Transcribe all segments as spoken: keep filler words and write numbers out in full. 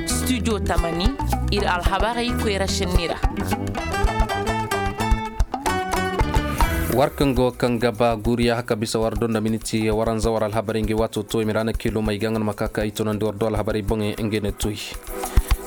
Studio tamani, ir alhabarey koyra šenni ra. War kaŋ go kaŋ ga ba guuriya haka bisa war do nda miniti waranza war alhabarey ngey waato to i ma ra na kiilomey ga nga no ma ka ka i tunandi war do alhabarey boŋey ngey ne tuy.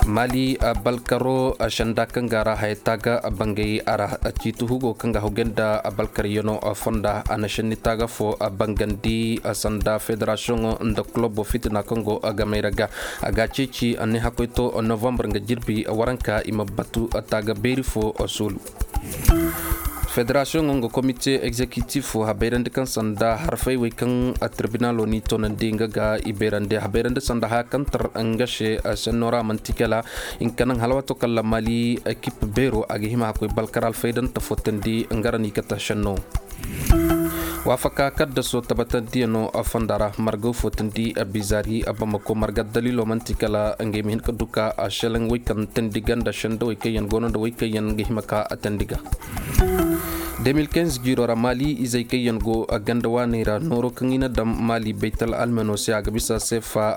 Mali balkaro senda kaŋ ga ra haya taaga bangay a ra. Ciiti hugo kaŋ ga hawgay nda balkaryano fonda a na šenni taaga fo bangandi sanda federasiyoŋo nda kulobo fitina kaŋ go gamay ra ga. A ga a ceeci a ne hakkoy to novambar nga jirbi waranka i ma batu taaga beeri fo suulu. Federasiyoŋo nga komite egzekitif habayrandi kaŋ sanda harfay wey kaŋ tirbinalo n'i toonandi nga ga i bayrandi habayrandi sanda haya kaŋ tar nga se senno ra manti kala. Hinka naŋ hala waato kaŋ la mali ekip beero a ga hima hakkoy balkar alfaydanta fotandi nga ra n'i kata senno. Waafaka kaddaso tabatandiyano fonda ra margaw fotandi bizaari bamako marga dalilo manti kala ngey ma hin ka duka a selaŋ wey kaŋ tandi ga nda sendawey kaŋ yaŋ goono nda wey kaŋ yaŋ ga hima ka a tandi ga. De mil kinz jiiro ra mali izey kaŋ yaŋ go ganda waaney ra nooro kaŋ i na daŋ mali baytal almeno se a ga bisa sefa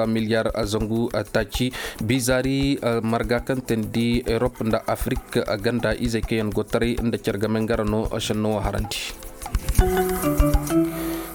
miliyar zangu taaci. Bizaari marga kaŋ teendi erop nda afrik ganda izey kaŋ yaŋ go taray nda care game nga ra no senno wo harandi.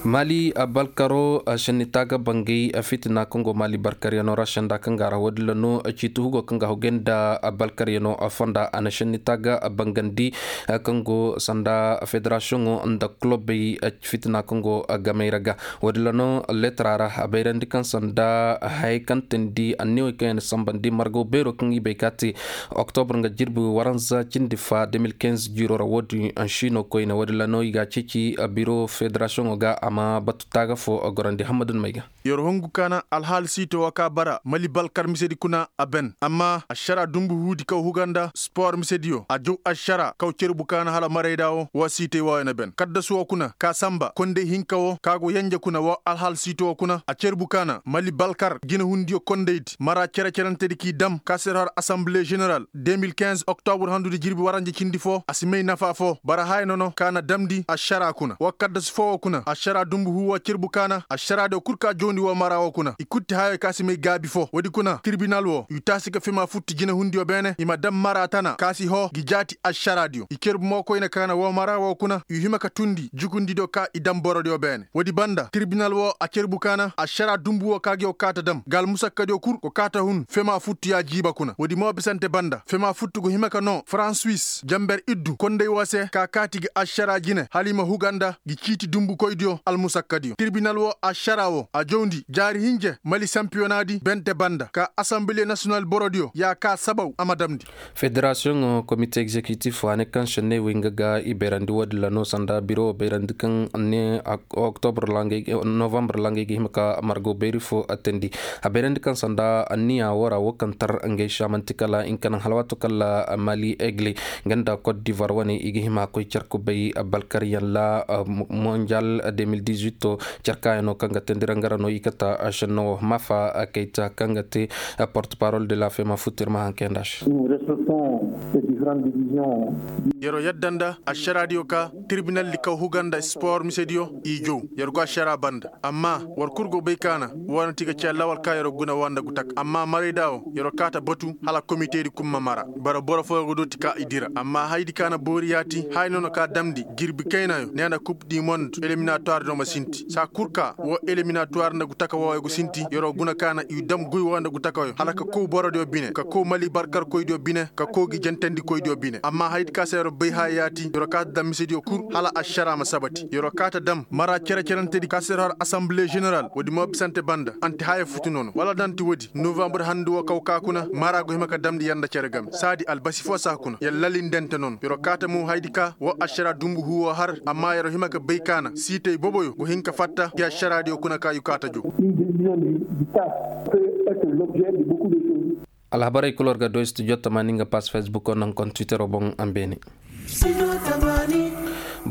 Mali balkaro senni taaga bangay fitina kaŋ go mali balkaryano ra senda kaŋ ga ra wo- din ra no ciiti hugo kaŋ ga hawgay nda balkaryano fonda a na senni taaga bangandi kaŋ go sanda federasiyoŋo nda kulobey fitina kaŋ go gamay ra ga. Wo- din ra no leetara ra a bayrandi kaŋ sanda hayey kaŋ teendi anniyawey kaŋ yaŋ na sambandi margaw beero kaŋ i bay ka te oktobr nga jirbi waranza cindi fa de mil kinz jiiro ra wo- din ansiino koyne wo- din ra no i ga a ceeci biro federasiyoŋo ga a ma batu taaga fo gorandi hammadun may ga. Yer hungu kaana alhaali siito wo ka bara mali balkar misedi kuna a ben amma ašara dumbu huudi kaw huga nda spor misediyo a jaw ašara kaw cerbu kaana hala marayda wo wa siitey wooyo na ben kaddasu wo kuna ka samba konday hinka wo ka go yenje kuna wa alhaali siito wo kuna a cerbu kaana mali balkar jinehundiyo kondaydi mara cere-cerentedi k'i dam ka se har assemble general de mil kinz oktobr handudi jirbi waranje cindi foo a si may nafa foo bara haya nono ka na damndi ašara kuna wa kaddasu foo wo kuna ašara dumbu huu wa cerbu kaana ašaraadiyo kul ka jawndi woo mara woo kuna i kutti hayo ka si may gaabi foo woodi kuna tirbinal woo i taasi ka fema futti jinehundiyo beene i ma dam mara tana ka si hoo gi jaati ašaraadiyo i cerbu mo koyne kaana woo mara woo kuna i hima ka tundi jukundidiyo ka i dam borodiyo beene woodi banda tirbinal woo a cerbu kaana ašara dumbu woo ka gi woo kaata dam ga almusakkadiyo kul go kaata hun fema futtu ya jiiba kuna woodi mo bisante banda fema futtu go hima ka noo fransuwis jamber iddu konday woo se ka kaati gi ašara jine hala i ma huga nda gi ciiti dumbukoydiyo almusakkadiyo tirbinal woo ašara woo a jawndi jaari hinje mali sampiyonaadi bente banda ka asamble nasiyonal borodiyo ya ka sabaw a ma damndi. Federasiyoŋo komite egzekitif a ne kaŋ senney wey nga ga i bayrandi woodin ra no sanda biro bayrandi kaŋ ne oktobr ra nga ay ga hima ka margo bayri fo attandi a bayrandi kaŋ sanda anniya woo ra woo kaŋ tar ngey se a man'ti kala nga ka naŋ hala waato kaŋ ra mali egle nga nda kot divoir wane i ga hima koy car kubay balkaryaŋ ra monjal de mil dizuit. Car kaayano kaŋ ga teendi ra nga ra no i kate senno woo maafa kayta kaŋ ga te porte parol de la fema futur ma haŋ kayanda se. Yer'o yadda nda ašaraadiyo ka tirbinaldi kaw huga nda spor misediyo i jow yer go ašara banda amma war kul go bay kaana woo na ti ga ci allawal ka yer'o guna woo nda gutaka amma marayda woo yer'o kaata batu hala komitedi kul ma mara bara boro fooyo go dooti ka i dira amma hayadi kaana boori yaati haya no na ka damndi jirbi kaynayo ne nda kub di mond eliminatuwardiyo ma sinti saa kul ka woo eliminatuwar nda gutaka wooyo go sinti yer'o guna kaana i dam guy woo nda gutakayo hala ka kow borodiyo bine ka kow mali barkarkoydiyo bine ka kow gi jentendikoydiyo bine amma hayadi ka se yer'o bay haya yaati yer'o kaata dam misediyo kul hala ašara ma sabati yer'o kaata dam mara cere-cerentedi ka se yer'o har asamble ženeral woodi mo bisante banda anti haya futu nono wala danti woodi novambre handu woo kaw ka kuna mara go hima ka damndi yer nda cere game saadi albasi foo saa kuna yer lalindente nono yer'o kaata mo hayadi ka woo ašara dumbu huu woo har amma yer'o hima ka bay kaana siitey boboyo go hin ka fatta gi ašaraadiyo kuna ka yu kaata jow. Alhabarey kul war ga doy studio tamani nga pas facebook woo naŋ kon twitter woo boŋ a ma beene.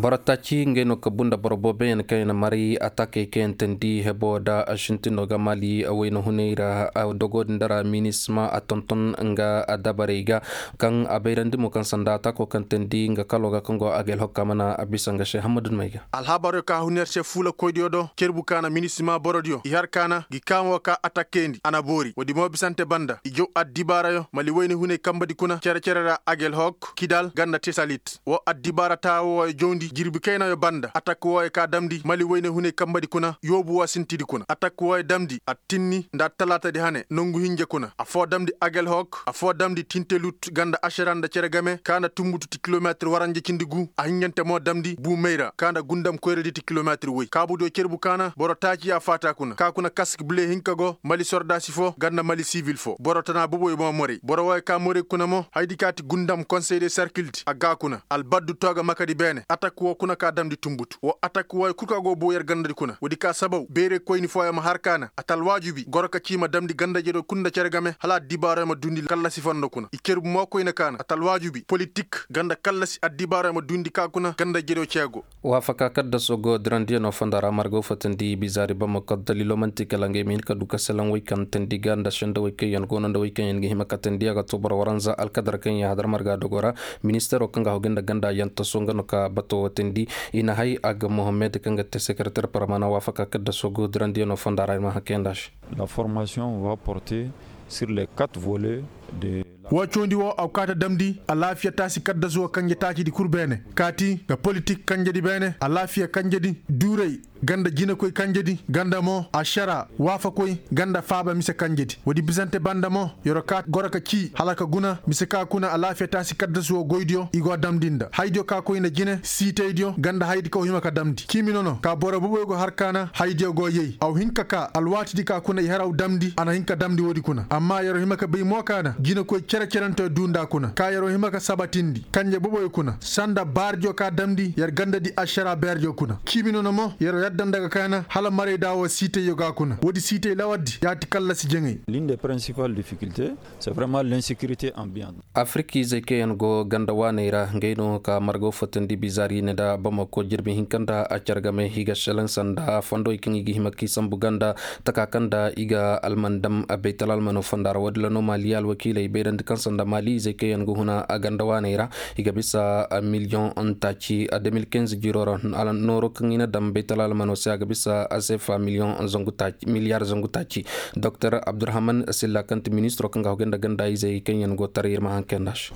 Boro taaci ngey no ka bunda boro booboyaŋ kaŋ yaŋ na maray atakey kaŋ yaŋ teendi hebo da a sintindo ga maali wayna hunay ra. Dogo din dara minisma a tonton nga a dabarey ga kaŋ a bayrandi mo kaŋ sanda atako kaŋ teendi nga kalo ga kaŋ go a ga alhokka mana a bisa nga se hammadu dumey ga. Alhabaryo ka huniyar se fuula koydiyo do cerbu kaana minisma borodiyo i har kaana gi kaamo ka atakeyandi a na boori woodi mo bisante banda i jow addibaarayo mali wayna hunay kambadi kuna cere-cere ra agel hok kidal ganda tesalit wo addibaara taawo wooyo jowndi jirbi kaynayo banda atak wooyo ka damndi mali wayne hunay kambadi kuna yoobu woo sintidi kuna atak wooyo damndi attinni nda attalaatadi hane nongu hinja kuna affoo damndi agel hok affoo damndi tintelut ganda ašara nda cere game ka nda tumbutu ti kilometir waranja cindi guu a hinjante mo damndi buu mayra ka nda gundam koyradi ti kilometir woy kaabudiyo cerbu ka na boro taaci ya faata kuna ka kuna kask bile hinka go mali sordaasi foo ganda mali sivil foo boro tana boboyo mo morey boro wooyo ka morey kuna mo hayadi ka ti gundam konsey de sarkildi a gaa kuna albaddu tooga makadi beene atak woo kuna ka damndi tumbutu woo atak wooyo kul ka go boo yer gandadi kuna woodi ka sabaw beerey koyni fooyo ma har ka na a ta alwaajubi goro ka cii ma damndi gandajediyo kul nda cere game hala addibaaroo ma duundi kallasi fondo kuna i cerbu mo koyne ka na a ta alwaajubi politik ganda kallasi addibaaroo ma duundi ka kuna gandajediyo ceego. Waafaka kaddaso go dirandiyanoo fonda ra marga woo fotandi bizaari bamako daliloo man'ti kala ngey ma hin ka du ka selaŋ wey kaŋ teendi ga nda sendawey kaŋ yaŋ go no nda wey kaŋ yaŋ ga hima ka teendi a ga too boro waranza alkadar kaŋ yaŋ hadar marga dogo ra. Ministeeroo kaŋ ga hagu nda ganda yantaso nga no ka bato woo teendi i na hay a ga mohammed kaŋ ga te sekereter parmana waafaka kaddaso go dirandiyanoo fonda ra ir ma haŋ kayandi a se. La formation va porter sur les quatre volets de la woo cawndi woo a ga kaati damndi alaafiya taasi kaddasu woo kanje taacidi kul beene kaati nda politik kanjedi beene alaafiya kanjedi duuray ganda jinekoy kanjedi ganda mo ašara waafakoy ganda faaba mise kanjedi woodi bisante banda mo yer'o ka goro ka cii hala ka guna mise ka kuna alaafiya taasi kaddasu woo goydiyo i go damndi nda haydiyo ka koy nda jine siitaydiyo ganda hayadi kaw hima ka damndi ciimi nono ka boro boboyo go har ka na haydiyo go yay aw hin ka kaa alwaatidi ka kuna i haraw damndi a na hin ka damndi woodi kuna amma yer'o hima ka bay mo ka na jinekoy cere-cerenteyo duu nda kuna ka yer'o hima ka sabatindi kanje boboyo kuna sanda baardiyo ka damndi yer gandadi ašara beerdiyo kuna ciimi nono mo yer'o yadda nda ga ka na hala marayda woo siitayyo ga kuna woodi siitay lawardi ya ti kallasi jaŋay. L'une des principales difficultés c'est vraiment l'insécurité ambiante. Afirikizey kaŋ yaŋ go ganda waaney ra ngey no ka marga woo fotandi bizaari ne nda bamako jirbi hinka nda a care game i ga selaŋ sanda fondowey kaŋ i ga hima k'i sambu ganda taka kaŋ nda i ga alman dam baytal almano fonda ra woodin ra no maali alwakiiley bayrandi kaŋ sanda maali izey kaŋ yaŋ ga huna a ganda waaney ra i ga bisa miliyoŋ taaci a deux mille quinze jiiro ra. Nooro kaŋ i na dam baytal almano se a ga bisa a seefa miliyoŋ zangu taaci miliyaar zangu taaci. Doktor abdurahman silla kaŋ ti ministiro kaŋ ga hagu nda ganda izey kaŋ yaŋ go taray ir ma haŋ kayandi a se.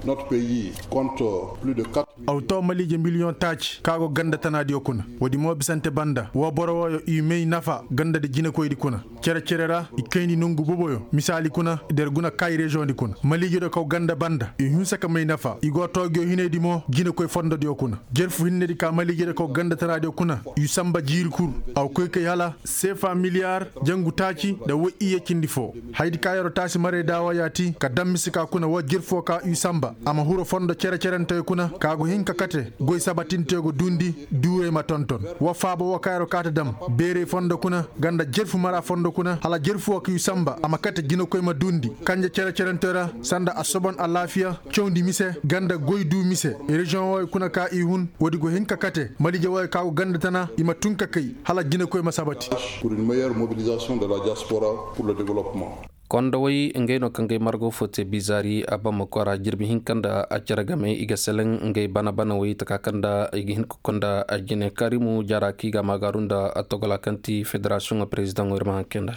Aw to maliije miliyoŋ taaci ka go ganda tanaadiyo kuna woodi mo bisante banda woo boro wooyo i may nafa gandadi jinekoydi kuna cere-cere ra i kayndi nongu boboyo misaali kuna der guna kay reziyoŋdi kuna maliijediyo kaw ganda banda i hinsa ka may nafa i go toogiyo hinaydi mo jinekoy fondodiyo kuna jerfu hinnedi ka maliijediyo kaw ganda tanaadiyo kuna i samba jiiri kul aw koy kay hala seefa miliyaar jangu taaci nda woy iyye cindi foo hayadi ka yer'o taasi marayda woo yaati ka dam mise ka kuna woo jirfoo ka i samba a ma huru fondo cere-cerenteyo kuna ka go hin ka kate goy sabatinteyo go duundi duurey ma tonton woo faaba woo ka yer'o kaati dam beerey fondo kuna ganda jirfu mara fondo kuna hala jirfu woo ka i samba a ma kate jinekoy ma duundi kanje cere-cerenteyo ra sanda asobon alaafiya cawndi mise ganda goy duu mise reziyoŋ wooyo kuna ka i hun woodi go hin ka kate maliije wooyo ka go ganda tana i ma tun ka kay hala jinekoy ma sabati. Pour une meilleure mobilisation de la diaspora pour le développement. Kondowey ngey no kaŋ gay margo fo te bizaari a bamako ra jirbi hinka nda a cere game i ga seleŋ ngey bana-banawey taka kaŋ nda i ga hin ka konda a jine karimu jara kaŋ i ga a maagaaru nda a togola kaŋ ti federasiyoŋo perezidaŋo ir ma haŋ kayandi a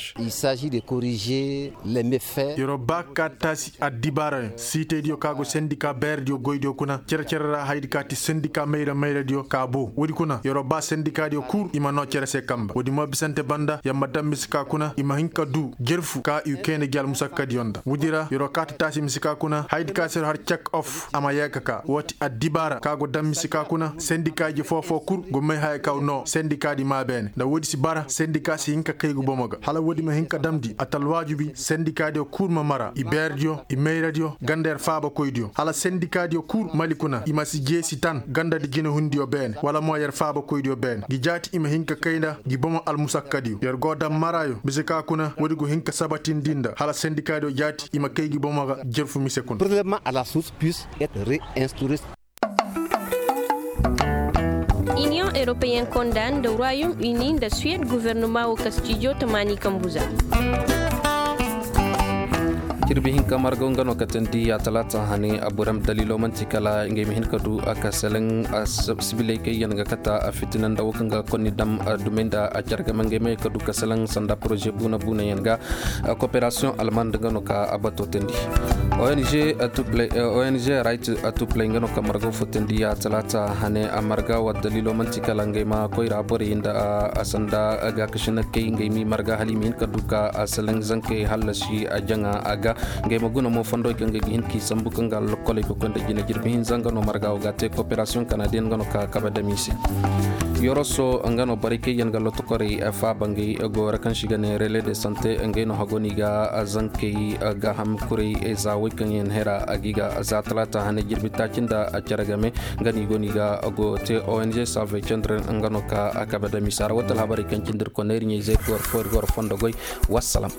se. Yer'o ba ka taasi addibaarayaŋ siitaydiyo kaŋ a go sendika beerediyo goydiyo kuna cere-cere ra hayadi ka ti sendika mayra-mayradiyo ka boo woodi kuna yer'o ba sendikaadiyo kul i ma noo cere se kamba woodi mo bisante banda yer ma daŋ mise ka kuna i ma hin ka duu jerfu ka i kayna gi almusakkadiyo nda woodi ra yer'o kaati taasi mise ka kuna hayadi ka se yer'o har cek of a ma yee ka kaa woo ti addibaara ka go daŋ mise ka kuna sendika ije foo-foo kul go may haya kaŋ noo sendikaadi maa beene nda woodi si bara sendika si hin ka kay ga bomo ga hala woodi ma hin ka damndi a ta alwaajibi sendikaadiyo kul ma mara i beerediyo i mayradiyo ganda yer faabakoydiyo hala sendikaadiyo kul mali kuna i ma si jeesi tan gandadi jinehundiyo beene wala mo yer faabakoydiyo beene gi jaati i ma hin ka kay nda gi bomo almusakkadiyo yer go daŋ maraayo mise ka kuna woodi go hin ka sabatindi nda hala sendikaadiyo jaati i ma kay gi bomo ga jerfu mise kuna. Prelèvement à la source puisse être réinstauré. Eropeyen konda nda royaume uni nda suwed guvernoma wo ka stijo tamaani kambu za. Jirbi hinka margaw nga no ka teendi ya talaata hane a burem daliilo man'ti kala ngey ma hin ka du a ka seleŋ sibiley kaŋ yaŋ ga kate a fitina nda wo kaŋ ga konni dam dumey nda a care game ngey ma ye ka du ka seleŋ sanda poroze buuna buuna yaŋ ga. Kooperasiyoŋ almand nga no ka a bato teendi. Ong right to play nga no ka margaw fo teendi ya talaata hane a marga war daliilo man'ti kala ngey ma koyra borey nda a sanda gaakasinakey ngey m'i marga hala i ma hin ka du ka a seleŋ zankey hallasi a jaŋa a ga. Ngey ma guna mo fondowey kaŋ ga hin k'i sambu kaŋ ga lokkoley ga koy nda jina jirbi hinza nga no marga wo ga te kooperasiyoŋ kanadiyen nga no ka kabe dam i se. Yoroso nga no borey kaŋ yaŋ ga lotokorey faaba ngey goyo ra kaŋ se i ga ne rele de sante ngey no hago no i ga zankey gaaham kurey za wey kaŋ yaŋ hera a ga i ga za talaata hane jirbi taaci nda a care game. Nga no i go no i ga goyo te ong save cendre nga no ka a kabe dam i se a ra wate alhabarey kaŋ cindi ir koney ir ɲey zey ga war fo ir ga war fondo goy. Wassalam.